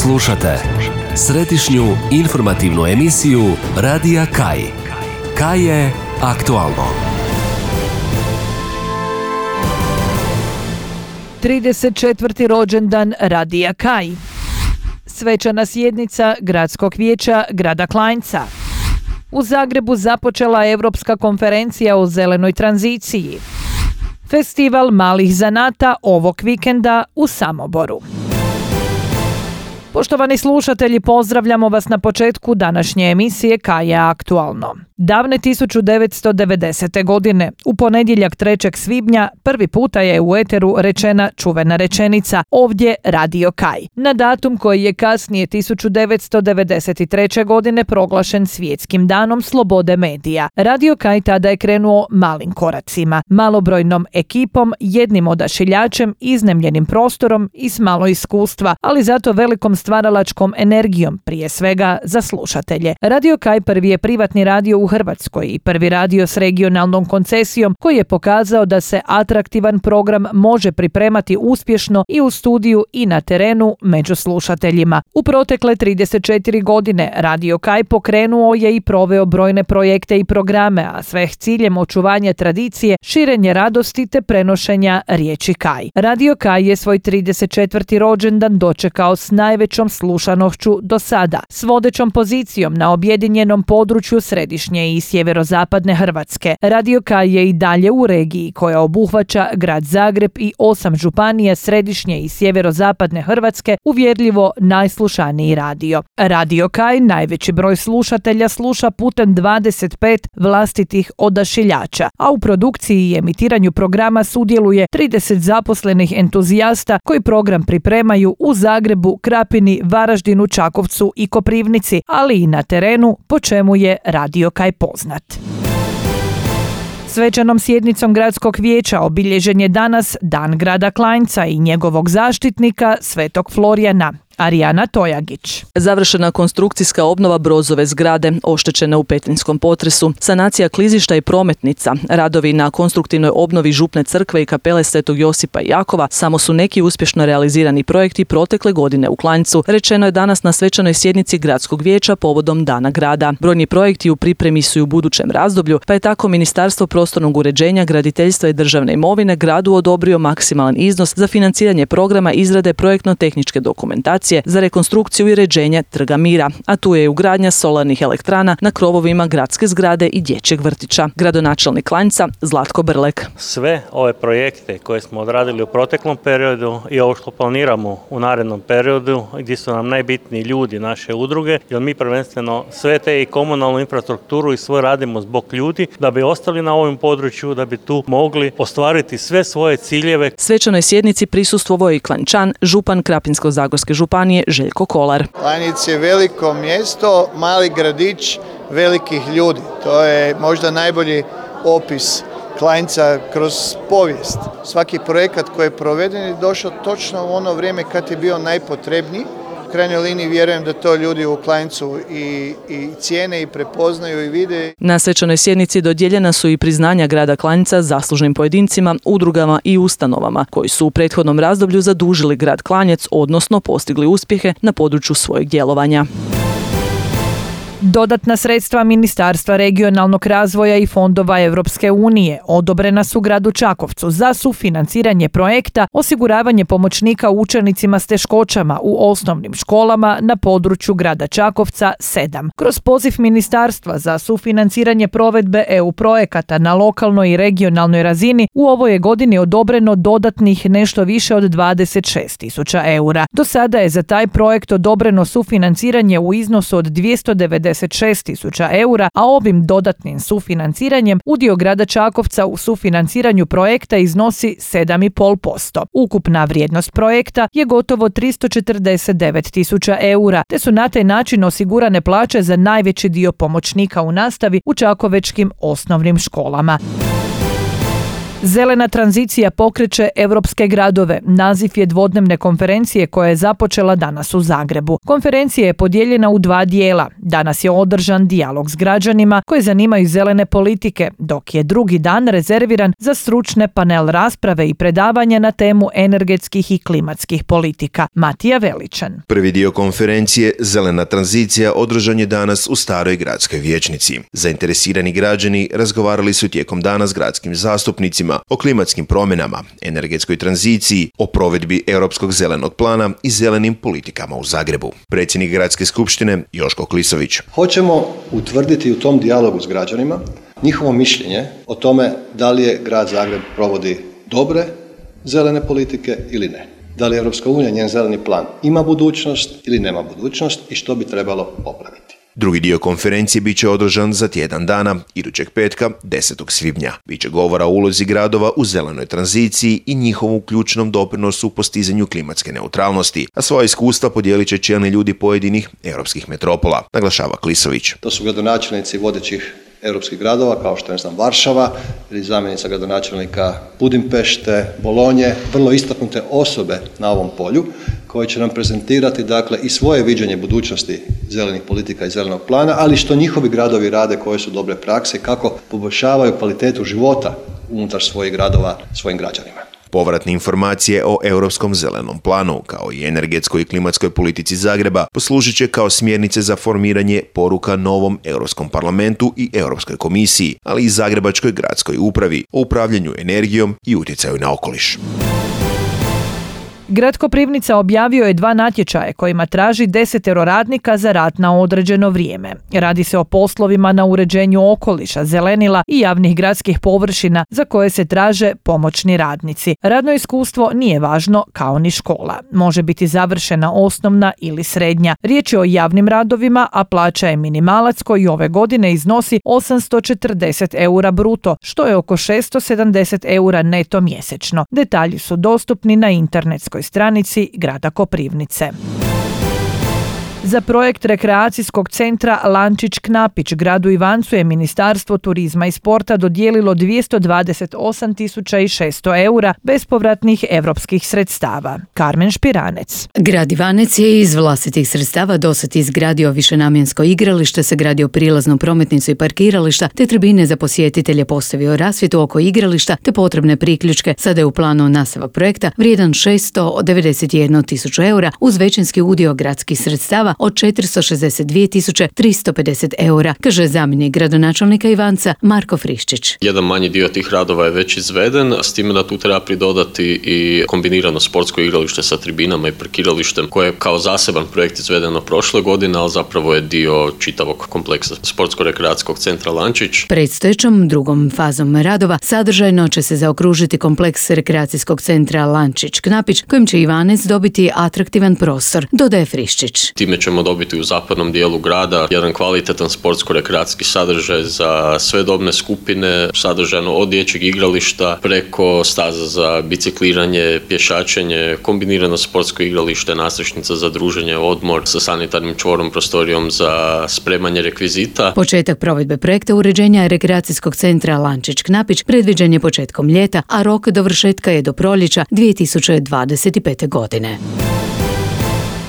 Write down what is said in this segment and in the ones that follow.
Slušate središnju informativnu emisiju Radija Kaj. Kaj je aktualno. 34. rođendan Radija Kaj. Svečana sjednica Gradskog vijeća grada Klanjca. U Zagrebu započela Europska konferencija o zelenoj tranziciji. Festival malih zanata ovog vikenda u Samoboru. Poštovani slušatelji, pozdravljamo vas na početku današnje emisije Kaj je aktualno. Davne 1990. godine, u ponedjeljak 3. svibnja, prvi puta je u eteru rečena čuvena rečenica "Ovdje Radio Kaj", na datum koji je kasnije 1993. godine proglašen Svjetskim danom slobode medija. Radio Kaj tada je krenuo malim koracima, malobrojnom ekipom, jednim odašiljačem, iznajmljenim prostorom i s malo iskustva, ali zato velikom stvaralačkom energijom, prije svega za slušatelje. Radio Kaj prvi je privatni radio u Hrvatskoj i prvi radio s regionalnom koncesijom koji je pokazao da se atraktivan program može pripremati uspješno i u studiju i na terenu među slušateljima. U protekle 34 godine Radio Kaj pokrenuo je i proveo brojne projekte i programe, a sve s ciljem očuvanja tradicije, širenje radosti te prenošenja riječi Kaj. Radio Kaj je svoj 34. rođendan dočekao s najvećom slušanošću do sada, s vodećom pozicijom na objedinjenom području središnje i sjeverozapadne Hrvatske. Radio Kaj je i dalje u regiji koja obuhvaća grad Zagreb i 8 županija središnje i sjeverozapadne Hrvatske uvjerljivo najslušaniji radio. Radio Kaj najveći broj slušatelja sluša putem 25 vlastitih odašiljača, a u produkciji i emitiranju programa sudjeluje 30 zaposlenih entuzijasta koji program pripremaju u Zagrebu, Krapini, Varaždinu, Čakovcu i Koprivnici, ali i na terenu, po čemu je Radio Kaj poznat. Svečanom sjednicom Gradskog vijeća obilježen je danas Dan grada Klanjca i njegovog zaštitnika Svetog Florijana. Arijana Tojagić. Završena konstrukcijska obnova Brozove zgrade, oštećena u petrinjskom potresu, sanacija klizišta i prometnica, radovi na konstruktivnoj obnovi župne crkve i kapele Svetog Josipa i Jakova samo su neki uspješno realizirani projekti protekle godine u Klanjcu, rečeno je danas na svečanoj sjednici Gradskog vijeća povodom Dana grada. Brojni projekti u pripremi su i u budućem razdoblju, pa je tako Ministarstvo prostornog uređenja, graditeljstva i državne imovine gradu odobrio maksimalan iznos za financiranje programa izrade projektno-tehničke dokumentacije za rekonstrukciju i uređenje Trga Mira, a tu je i ugradnja solarnih elektrana na krovovima gradske zgrade i dječjeg vrtića. Gradonačelnik Klanjca Zlatko Brlek. Sve ove projekte koje smo odradili u proteklom periodu i ovo što planiramo u narednom periodu, gdje su nam najbitniji ljudi naše udruge, jer mi prvenstveno sve te i komunalnu infrastrukturu i sve radimo zbog ljudi, da bi ostali na ovom području, da bi tu mogli ostvariti sve svoje ciljeve. Svečanoj sjednici prisustvovao je i Klanjčan, župan Krapinsko-zagorske županije Željko Kolar. Klanjec je veliko mjesto, mali gradić velikih ljudi. To je možda najbolji opis Klanjca kroz povijest. Svaki projekat koji je proveden je došao točno u ono vrijeme kad je bio najpotrebniji. U krajnjoj liniji vjerujem da to ljudi u Klanjcu i cijene i prepoznaju i vide. Na svečanoj sjednici dodijeljena su i priznanja grada Klanjca zaslužnim pojedincima, udrugama i ustanovama koji su u prethodnom razdoblju zadužili grad Klanjec, odnosno postigli uspjehe na području svojeg djelovanja. Dodatna sredstva Ministarstva regionalnog razvoja i fondova Europske unije odobrena su gradu Čakovcu za sufinanciranje projekta osiguravanje pomoćnika učenicima s teškoćama u osnovnim školama na području grada Čakovca 7. Kroz poziv Ministarstva za sufinanciranje provedbe EU projekata na lokalnoj i regionalnoj razini u ovoj je godini odobreno dodatnih nešto više od 26.000 eura. Do sada je za taj projekt odobreno sufinanciranje u iznosu od 296.000 eura, a ovim dodatnim sufinanciranjem udio grada Čakovca u sufinanciranju projekta iznosi 7,5%. Ukupna vrijednost projekta je gotovo 349.000 eura, te su na taj način osigurane plaće za najveći dio pomoćnika u nastavi u čakovečkim osnovnim školama. Zelena tranzicija pokreće europske gradove. Naziv je dvodnevne konferencije koja je započela danas u Zagrebu. Konferencija je podijeljena u dva dijela. Danas je održan dijalog s građanima koji zanimaju zelene politike, dok je drugi dan rezerviran za stručne panel rasprave i predavanja na temu energetskih i klimatskih politika. Matija Veličan. Prvi dio konferencije Zelena tranzicija održan je danas u Staroj gradskoj vijećnici. Zainteresirani građani razgovarali su tijekom dana s gradskim zastupnicima o klimatskim promjenama, energetskoj tranziciji, o provedbi Europskog zelenog plana i zelenim politikama u Zagrebu. Predsjednik Gradske skupštine Joško Klisović. Hoćemo utvrditi u tom dijalogu s građanima njihovo mišljenje o tome da li je grad Zagreb provodi dobre zelene politike ili ne. Da li Europska unija, njen zeleni plan, ima budućnost ili nema budućnost i što bi trebalo popraviti. Drugi dio konferencije bit će održan za tjedan dana, idućeg petka, 10. svibnja. Biće govora o ulozi gradova u zelenoj tranziciji i njihovom ključnom doprinosu u postizanju klimatske neutralnosti, a svoje iskustva podijelit će čelni ljudi pojedinih europskih metropola, naglašava Klisović. To su gradonačelnici vodećih europskih gradova, kao što je Varšava ili zamjenica gradonačelnika Budimpešte, Bolonje, vrlo istaknute osobe na ovom polju koje će nam prezentirati i svoje viđenje budućnosti zelenih politika i zelenog plana, ali što njihovi gradovi rade, koje su dobre prakse, kako poboljšavaju kvalitetu života unutar svojih gradova svojim građanima. Povratne informacije o Europskom zelenom planu, kao i energetskoj i klimatskoj politici Zagreba, poslužit će kao smjernice za formiranje poruka novom Europskom parlamentu i Europskoj komisiji, ali i Zagrebačkoj gradskoj upravi o upravljanju energijom i utjecaju na okoliš. Grad Koprivnica objavio je 2 natječaje kojima traži 10 radnika za rad na određeno vrijeme. Radi se o poslovima na uređenju okoliša, zelenila i javnih gradskih površina za koje se traže pomoćni radnici. Radno iskustvo nije važno kao ni škola. Može biti završena osnovna ili srednja. Riječ je o javnim radovima, a plaća je minimalac koji ove godine iznosi 840 eura bruto, što je oko 670 eura neto mjesečno. Detalji su dostupni na internetskoj stranici grada Koprivnice. Za projekt rekreacijskog centra Lančić-Knapić gradu Ivancu je Ministarstvo turizma i sporta dodijelilo 228.600 eura bespovratnih europskih sredstava. Karmen Špiranec. Grad Ivanec je iz vlastitih sredstava dosad izgradio višenamjensko igralište, sagradio prilaznu prometnicu i parkirališta, te tribine za posjetitelje, postavio rasvjetu oko igrališta te potrebne priključke. Sada je u planu nastavak projekta vrijedan 691.000 eura uz većinski udio gradskih sredstava od 462.350 eura, kaže zamjenik gradonačelnika Ivanca Marko Friščić. Jedan manji dio tih radova je već izveden, s time da tu treba pridodati i kombinirano sportsko igralište sa tribinama i parkiralištem koje je kao zaseban projekt izvedeno prošle godine, ali zapravo je dio čitavog kompleksa sportsko-rekreacijskog centra Lančić. Predstojećom drugom fazom radova sadržajno će se zaokružiti kompleks rekreacijskog centra Lančić-Knapić kojim će Ivanec dobiti atraktivan prostor, dodaje Friščić. Time ćemo dobiti u zapadnom dijelu grada jedan kvalitetan sportsko-rekreacijski sadržaj za sve dobne skupine, sadržajno od dječjeg igrališta preko staza za bicikliranje, pješačenje, kombinirano sportsko igralište, nadstrešnica za druženje, odmor sa sanitarnim čvorom, prostorijom za spremanje rekvizita. Početak provedbe projekta uređenja rekreacijskog centra Lančić-Knapić predviđen je početkom ljeta, a rok dovršetka je do proljeća 2025. godine.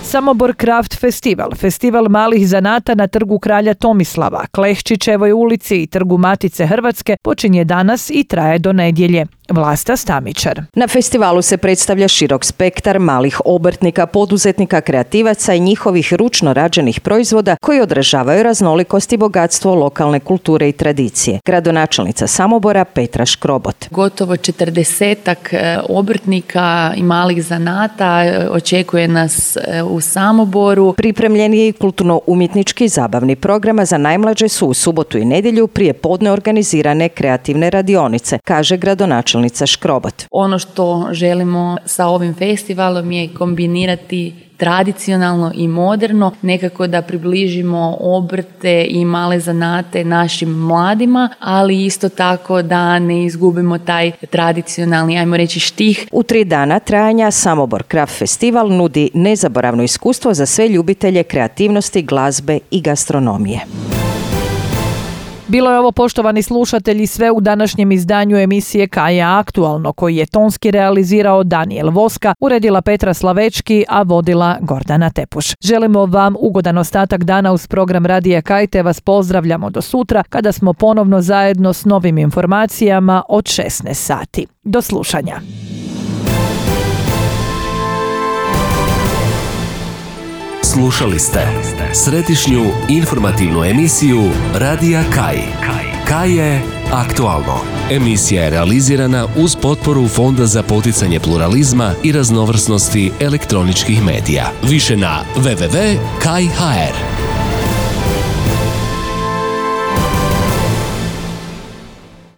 Samobor Craft Festival, festival malih zanata na trgu Kralja Tomislava, Klehčićevoj ulici i trgu Matice Hrvatske počinje danas i traje do nedjelje. Vlasta Stamičar. Na festivalu se predstavlja širok spektar malih obrtnika, poduzetnika, kreativaca i njihovih ručno rađenih proizvoda koji odražavaju raznolikost i bogatstvo lokalne kulture i tradicije. Gradonačelnica Samobora Petra Škrobot. Gotovo 40-ak obrtnika i malih zanata očekuje nas u Samoboru. Pripremljen je i kulturno-umjetnički zabavni program, za najmlađe su u subotu i nedjelju prije podne organizirane kreativne radionice, kaže gradonačelnica Škrobot. Ono što želimo sa ovim festivalom je kombinirati tradicionalno i moderno, nekako da približimo obrte i male zanate našim mladima, ali isto tako da ne izgubimo taj tradicionalni, ajmo reći, štih. U 3 dana trajanja Samobor Craft Festival nudi nezaboravno iskustvo za sve ljubitelje kreativnosti, glazbe i gastronomije. Bilo je ovo, poštovani slušatelji, sve u današnjem izdanju emisije Kaja aktualno, koji je tonski realizirao Daniel Voska, uredila Petra Slavečki, a vodila Gordana Tepuš. Želimo vam ugodan ostatak dana uz program Radija Kaj, te vas pozdravljamo do sutra kada smo ponovno zajedno s novim informacijama od 16 sati. Do slušanja. Slušali ste središnju informativnu emisiju Radija Kaj. Kaj je aktualno. Emisija je realizirana uz potporu Fonda za poticanje pluralizma i raznovrsnosti elektroničkih medija. Više na www.kaj.hr.